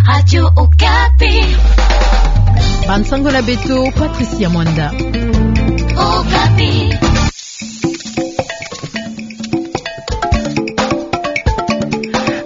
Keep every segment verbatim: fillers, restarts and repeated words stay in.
Radio Okapi. Bansango na beto, Patricia Mwanda. Okapi.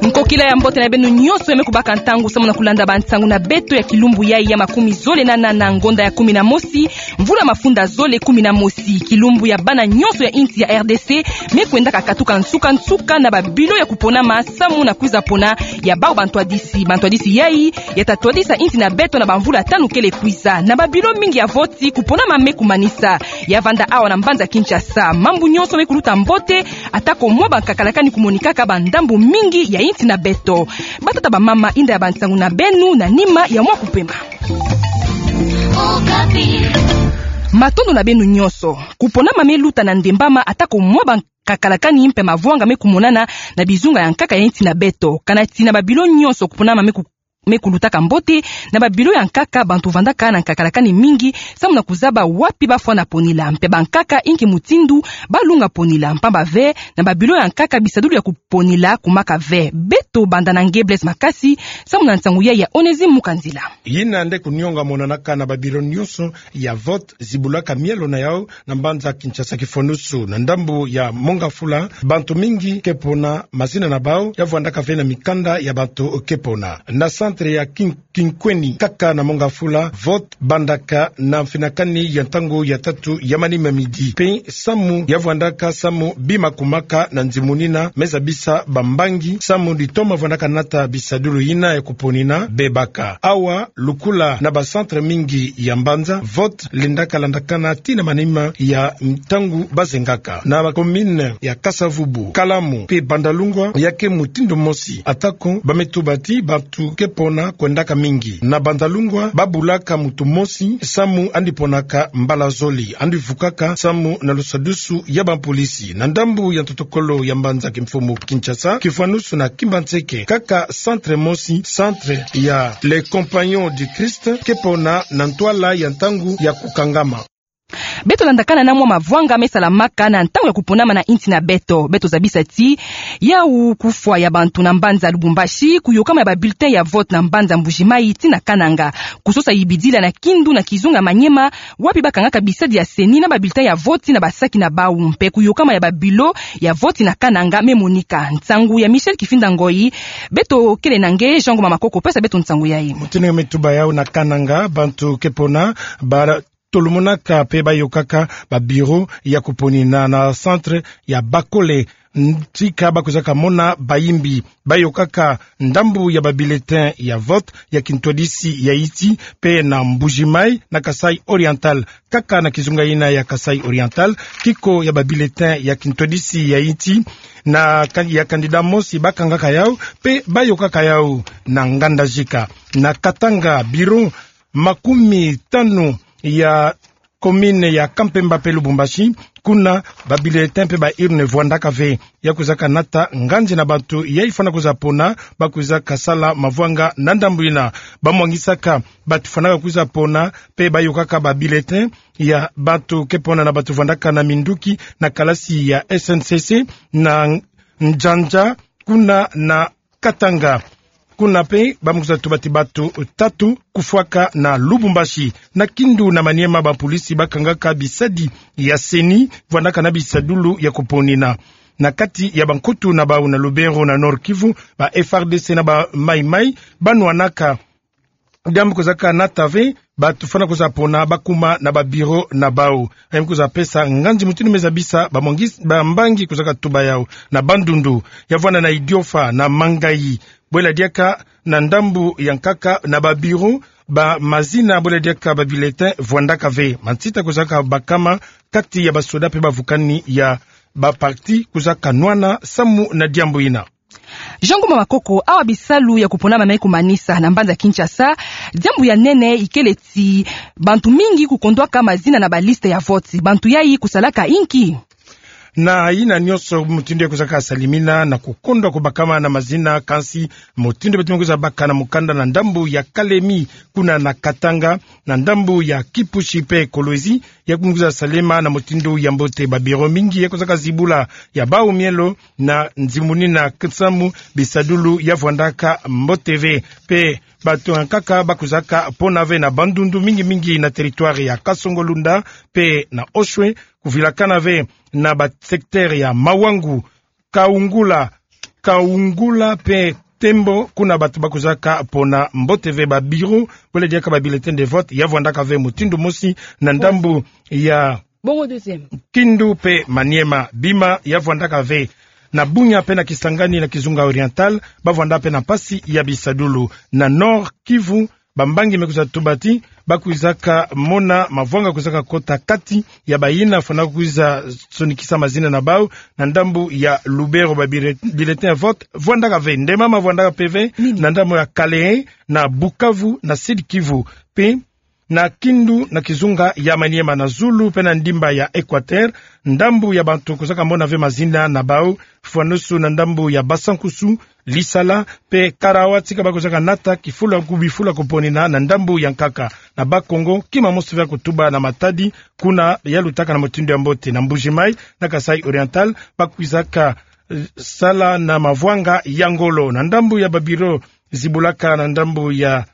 Nkokila ya mbote na beno nyonso ya me kubaka ntangu samu na kulanda bansango na beto ya kilumbu yai ya makumi zole na nana, ngonda ya kumi na mosi, mvula mafunda zole kumi na mosi. Kilumbu ya bana nyonso ya insi ya R D C me kwendaka katuka nsuka-nsuka na babilo ya kuponama samu na kwiza pona ya bau bantwadisi. Bantwadisi yai ya ta twadisa insi na beto na bamvula tanu kele kwiza. Na babilo mingi ya voti, kuponama me kumanisa. Ya vanda awa na mbanza Kinshasa. Mambu nyonso me kuluta mbote, atako mwa bankakalakani kumonikaka ba ndambu mingi ya insi na beto. Batata, bamama, yinda ya bansango na beno na nima ya mwa kupema. Matondo na beno nyonso. Kuponama me luta na ndembama, atako mwa bankakalakani mpe mavwanga me kumonana na bizunga ya nkaka ya insi na beto. Kana ti na babilo nyonso kuponama me ku-, me kulutaka mbote, na babilo ya nkaka bantu vandaka na nkakalakani mingi samu na kuzaba wapi bafwana ponila, mpe bankaka inki mutindu balunga ponila, mpamba ve na babilo ya nkaka bisadulu ya kuponila kumaka ve. Beto banda na nge Blaise Makasi samu na nsango yai ya Onésime Mukanzila. Yina nde kunionga monanaka na babilo nyonso ya vote zibulaka mielo na yau na mbanza Kinshasa. Kifwanusu, na ndambu ya Mont-Ngafula, bantu mingi ke pona, mazina na bau ya vwandaka ve na mikanda ya bantu ke pona. Na centre ya Kin-, Kinkweni, kaka na Mont-Ngafula, vote bandaka na mfinakani ya ntangu ya tatu ya manima midi. Mpe samu ya vwandaka samu bima kumaka na nzimunina, me zabisa bambangi samu ditoma vwandaka nata bisadulu yina ya kuponina bebaka. Awa, lukula na ba centre mingi ya mbanza, vote lendaka landakana tii na manima ya ntangu bazengaka. Na ba commune ya Kasa-Vubu, Kalamu mpe Bandalungwa, ya ke mutindu mosi. Atako ba me tuba ti bantu ke pona kwendaka mingi. Na Bandalungwa, babulaka muntu mosi samu yandi ponaka mbala zole, yandi vukaka samu na lusadusu ya bapolisi. Na ndambu ya ntotokolo ya mbanza kimfumu Kinshasa, kifwanusu na Kimbanseke, kaka centre mosi, centre ya Les Compagnons du Christ, ke pona na ntwala ya ntangu ya kukangama. Beto landakana na mwa mavwanga me salamaka na ntangu ya kuponama na insi na beto. Beto zabisa ti yau kufwa ya bantu na mbanza Lubumbashi, kuyokama ya ba bulletin ya vote na mbanza Mbuji-Mayi tii na Kananga, kusosa yibidila na Kindu na kizunga Maniema, wapi bakangaka bisadi ya CENI na ba bulletin ya vote na basaki na bau, mpe kuyokama ya babilo ya vote na Kananga me monika. Nsangu ya Michel Kifinda Ngoyi. Beto kele na nge Jean Ngoma Makoko pesa beto nsangu yai. Mutindu ya me tuba yau, na Kananga, bantu ke pona ba tolomonaka mpe bayokaka ba bureau ya kuponina na centre ya Bakole, ntika bakwizaka mona bayimbi. Bayokaka ndambu ya ba bulletin ya vote ya kintwadisi ya yinti, mpe na Mbuji-Mayi, na Kasaï Oriental, kaka na kizunga yina ya Kasaï Oriental, kiko ya ba bulletin ya kintwadisi ya yinti, na ka-, ya candidat mosi bakangaka yau, mpe bayokaka yau na Ngandajika. Na Katanga, bureau makumi tanu ya commune ya Kampemba mpe Lubumbashi, kuna ba bulletin mpe ba urne vwandaka ve. Ya kwizaka nata nganzi na bantu yai fwana kwiza pona, bakwizaka sala mavwanga na ndambu yina. Bamwangisaka bantu fwanaka kwiza pona, mpe bayokaka ba bulletin ya bantu ke pona na bantu vwandaka na minduki na kalasi ya S N C C na Njanja, kuna na Katanga. Kuna mpe bamukwiza tuba ti bantu tatu kufwaka na Lubumbashi. Na Kindu na Maniema, bapolisi bakangaka bisadi ya CENI vwandaka na bisadulu ya kuponina. Na kati ya bankutu na bau na Lubero na Nord-Kivu, ba F A R D C na ba Maï-Maï banwanaka. Diambu kwizaka nata ve bantu fwana kwiza pona bakuma na ba bureau na bau. Diambu kwiza pesa nganzi mutindu me zabisa bamwangis-, bambangi kwizaka tuba yau. Na Bandundu, ya vwanda na Idiofa na Mangayi, bwela diaka na ndambu ya nkaka na ba bureau, ba mazina bwela diaka ba bulletin vwandaka ve. Mansita kwizaka bakama kati ya basoda mpe bavukani ya ba parti kwizaka nwana samu na diambu yina. Jean Ngoma Makoko, awa bisalu ya kuponama me kumanisa na mbanza Kinshasa, diambu ya nene ikele ti bantu mingi kukondwaka mazina na ba liste ya vote. Bantu yai kusalaka inki? Na yina nyonso mutindu ya kwizaka salimina na kukondwa kubakama na mazina, kansi mutindu beto me kwiza baka na mukanda na ndambu ya Kalemi, kuna na Katanga, na ndambu ya Kipushi pe Kolwezi, ya me kwiza salema na mutindu ya mbote. Ba bureau mingi ya kwizaka zibula, ya bau mielo na nzimunina nsamu bisadulu ya vwandaka mbote ve. Pe bato ya nkaka ba kwizaka pona ve na Bandundu, mingi mingi na territoire ya Kasongo-Lunda pe na Oshwe, kuvilakana ve na ba secteur ya Mawangu, Kaungula, Kaungula pe Tembo, kuna bato ba kwizaka pona mbote ve. Ba bureau bole diaka ba bulletin de vote ya vwandaka ve mutindu mosi na ndambu ya Bongo deuxième. Kindu pe Maniema. Bima ya vwandaka ve. Na Bunia pe na Kisangani na Kizunga Oriental, ba vwanda pe na mpasi ya bisadulu. Na Nord-Kivu, bambangi me kwiza tuba ti ba kwizaka mona mavwanga kwizaka kota kati ya bayina fwana kwiza sonikisa mazina na bau na ndambu ya Lubero. Ba bire-, bulletin ya vote vwandaka ve. Ndemama vwandaka pe ve na ndambu ya Kalehe, na Bukavu, na Sud-Kivu. Pe na Kindu na Kizunga ya Maniema, na zulu pe na ndimba ya Equateur, ndambu ya bantu kwizaka mona ve mazina na bau fwanusu na ndambu ya Basankusu, Lisala pe Karawa, tika ba kwizaka nata kifulu ku bifulu kuponina na ndambu ya nkaka. Na Bas-Congo, kima mosi ve kutuba na matadi, kuna ya lutaka na mutindu ya mbote. Na Mbuji-Mayi, na Kasaï Oriental, ba kwizaka, eh, sala na mavwanga ya ngolo. Na ndambu ya ba bureau zibulaka na ndambu ya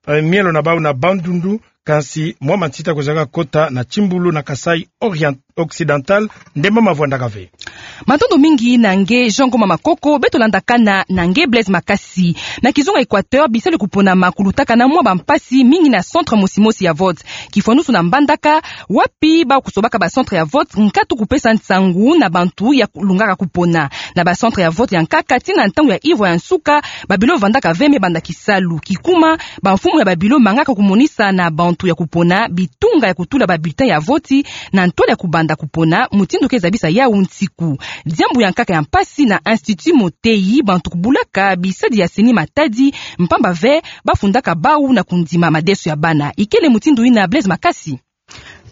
eh, mielo na bau na Bandundu, kansi mwa matita kwizaka kota na Kimbulu na Kasaï Orient-, Occidental. Ndemama vwandaka ve. Matondo mingi na nge Jean Ngoma Makoko. Beto landakana na nge Blaise Makasi. Na Kizunga Equateur, bisalu ya kuponama kulutaka na mwa bampasi mingi na centre mosi mosi ya vote, kifwanusu na Mbandaka, wapi ba kusobaka ba centre ya vote nkatu kupesa nsangu na bantu ya lungaka kupona. Na ba centre ya vote ya nkaka, tii na ntangu ya ivwa ya nsuka, ba bureau vandaka ve me banda kisalu. Kikuma, bamfumu ya ba bureau mangaka kumonisa na bantu ya kupona bitunga ya kutula ba bulletin ya vote na ntwala ya kubanda kupona, mutindu ke zabisa yau nsiku. Diambu ya nkaka ya mpasi na Institut Moteyi, bantu kubulaka bisadi ya seni matadi, mpamba ve ba fundaka bau na kundima madeso ya bana. Ikele mutindu yina Blaise Makasi.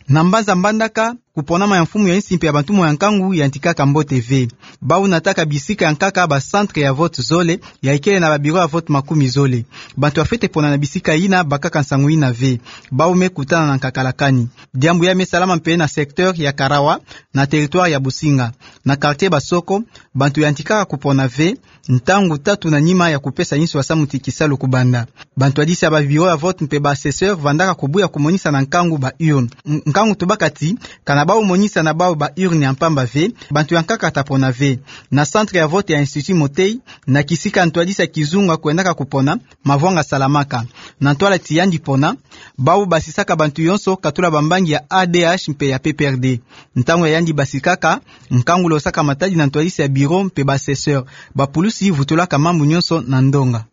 Na mbanza Mbandaka, kuponama ya mfumu ya insi mpe ya bantu moyo ya nkangu yantikaka mbote ve. Bau nataka bisika ya nkaka ba centre ya vote zole, ya ikele na ba bureau ya vote makumi zole. Bantu ya fwete pona na bisika yina bakaka nsangu yina ve. Bau me kutana na nkaka la kani. Diambu ya me salama mpe na secteur ya Karawa, na territoire ya Businga. Na quartier Basoko, bantu yantikaka kupona ve, ntangu tatu na nima ya kupesa insu ya samu ti kisalu kubanda. Bantwadisi ya ba bureau ya vote mpe ba assesseur vandaka kubuya kumonisa na nkangu ba urne. N-, nkangu tubaka ti, kana bau monisa na bau ba urne ya mpamba ve, bantu ya nkaka ta pona ve. Na centre ya vote ya Institut Moteyi, na kisika ntwadisi ya kizunga kwendaka kupona, mavwanga salamaka. Na ntwala ti yandi pona, bau basisaka bantu yonso katula bambangi ya A D H mpe ya P P R D. Ntangu ya yandi basikaka, nkangu losaka matadi na ntwadisi ya bureau mpe ba assesseur. Bapulusi vutulaka mambu nyonso na ndonga.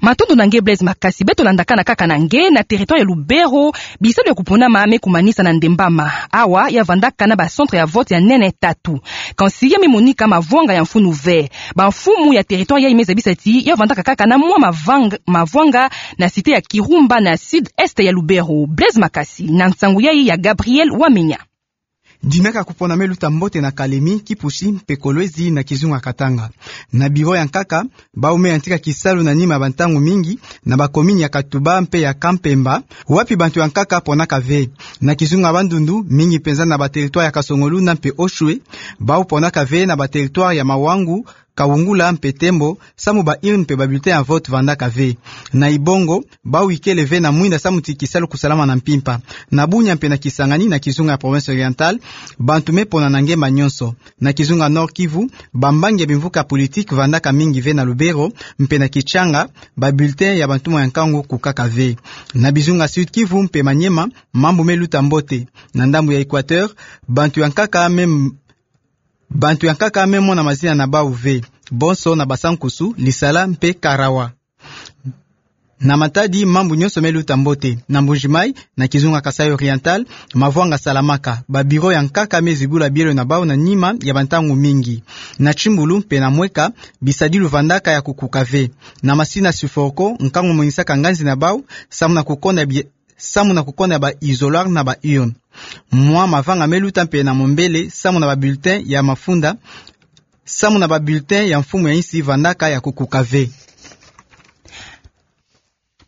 Matondo na nge Blaise Makasi. Beto landakana kaka na nge, na territoire ya Lubero, bisalu ya kuponama me kumanisa na ndembama. Awa, ya vandaka na ba centre ya vote ya nene tatu. Kansi ya me monika mavwanga ya mfunu ve. Bamfumu ya territoire yayi me zabisa ti ya vandaka kaka na mwa mavang-, mavwanga na cité ya Kirumba na sud-est ya Lubero. Blaise Makasi, na nsangu yayi ya Gabriel Wamenya. Dinaka kupona me luta mbote na Kalemi, Kipushi, mpe Kolwezi na kizunga Katanga. Na bureau ya nkaka, bau me yantika kisalu na nima ya bantangu mingi, na ba commune ya Katuba mpe ya Kampemba, wapi bantu ya nkaka ponaka ve. Na kizunga Bandundu, mingi mpenza na ba territoire ya Kasongo-Lunda mpe Oshwe, bau ponaka ve na ba territoire ya Mawangu, Kaungula mpe Tembo, samu ba urne mpe ba bulletin ya vote vandaka ve. Na Ibongo, bau ikele ve na mwinda samu ti kisalu kusalama na mpimpa. Na Bunia mpe na Kisangani na kizunga ya Province Orientale, bantu me pona na ngemba nyonso. Na kizunga Nord-Kivu, bambangi ya bimvuka politique vandaka mingi ve na Lubero, mpe na Kitshanga, ba bulletin ya bantu moyo ya nkangu kukaka ve. Na bizunga Sud-Kivu mpe Maniema, mambu me luta mbote. Na ndambu ya Equateur, bantu ya nkaka me m-, bantu ya nkaka me mona mazina na bau ve, bonso na Basankusu, Lisala mpe Karawa. Na Matadi, mambu nyonso me luta mbote. Na Mbuji-Mayi, na kizunga Kasaï Oriental, mavwanga salamaka. Ba bureau ya nkaka me zibula bielo na bau na nima ya bantangu mingi. Na Kimbulu mpe na Mweka, bisadilu vandaka ya kukuka ve. Na Masina Suforco, nkangu monisaka nganzi na bau, samu na kukonda bi-, samu na kukonda ba isoloir na ba urne. Mwa mavanga me luta mpe na mombele samu na ba bulletin ya mafunda, samu na ba bulletin ya mfumu ya insi vandaka ya kukuka ve.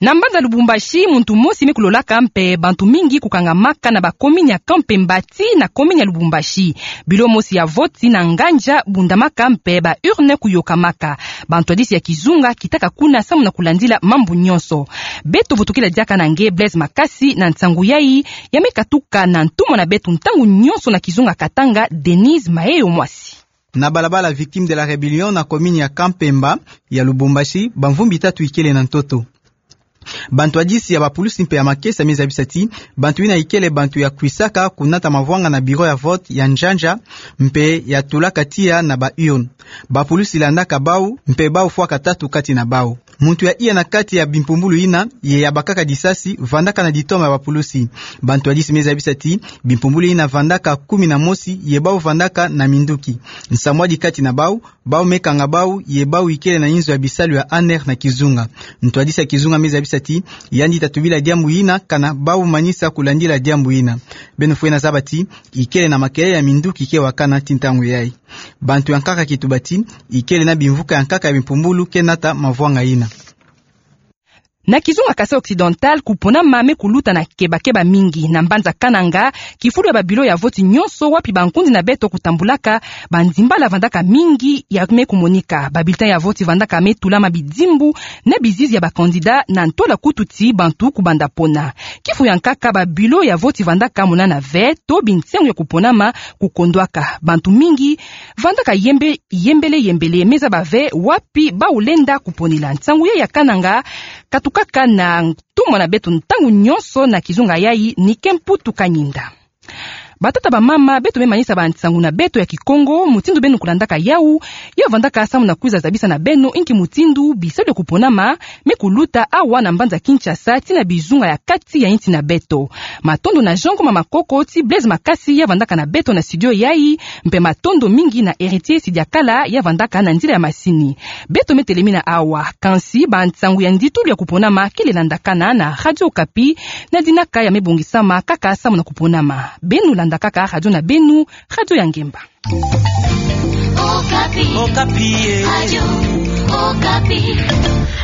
Na mbanza Lubumbashi, muntu mosi me kulolaka mpe bantu mingi kukangamaka na ba commune ya Camp Pemba tii na commune ya Lubumbashi. Bilo mosi ya vote na nganza bundamaka mpe ba urne kuyokamaka. Bantwadisi ya kizunga kitaka kuna samu na kulandila mambu nyonso. Beto vutokila diaka na nge Blaise Makasi na nsangu yai, ya me katuka na ntumwa na beto ntangu nyonso na kizunga Katanga, Denise Maheyo Mwasi. Na balabala Victimes de la Rébellion na commune ya Camp Pemba ya Lubumbashi, bamvumbi tatu ikele na ntoto. Bantwadisi ya bapulusi mpe ya makesa me zabisa ti bantu yina ikele bantu ya kwisaka kunata mavwanga na bureau ya vote ya nzanza mpe ya tulaka tiya na ba urne. Bapulusi landaka bau mpe bau fwaka tatu kati na bau. Muntu ya iya na kati ya bimpumbulu yina ye ya bakaka disasi vandaka na ditoma ya bapulusi. Bantwadisi me zabisa ti bimpumbulu yina vandaka kumi na mosi ye bau vandaka na minduki. Nsambwadi kati na bau, bau me kanga bau ye bau ikele na inzo ya bisalu ya ANR na kizunga. Ntwadisi ya kizunga me zabisa ti yandi ta tubila diambu yina kana bau manisa kulandila diambu yina. Beno fwena zaba ti ikele na makelele ya minduki ke wakana tii ntangu yai. Bantu ya nkaka kituba ti ikele na bimvuka ya nkaka ya bimpumbulu ke nata mavwanga yina. Na kizunga Kasaï Occidental, kuponama me kuluta na kebakeba mingi. Na mbanza Kananga, kifulu ya ba bureau ya vote nyonso wapi bankundi na beto kutambulaka, banzimbala vandaka mingi ya me kumonika. Ba bulletin ya vote vandaka me tulama bidimbu na bizizi ya ba candidat na ntola kutu ti bantu kubanda pona. Kifu ya nkaka ba bureau ya vote vandaka monana ve, to binsengo ya kuponama kukondwaka. Bantu mingi vandaka yembe, yembele, yembele, me zaba ve wapi bau lenda kuponela. Nsangu yai ya Kananga katukaka na ntumwa na beto ntangu nyonso na kizunga yai. Nike Mputu Kanyinda. Batata, bamama, beto me manisa bansangu na beto ya Kikongo, mutindu beno kulandaka yau, ya vandaka samu na kwiza zabisa na beno inki mutindu bisalu ya kuponama me kuluta awa na mbanza Kinshasa tii na bizunga ya kati ya insi na beto. Matondo na Jean Ngoma Makoko ti Blaise Makasi ya vandaka na beto na studio yai, mpe matondo mingi na Héritier Sidiakala ya vandaka na nzila ya masini. Beto me telemina awa, kansi bansangu ya nditulu ya kuponama kele landakana na Radio Okapi, na dinaka ya me bongisama kaka samu na kuponama. Beno landa kaka radio na beno, Radio ya Ngemba. Okapi. Okapi, eh. Radio Okapi.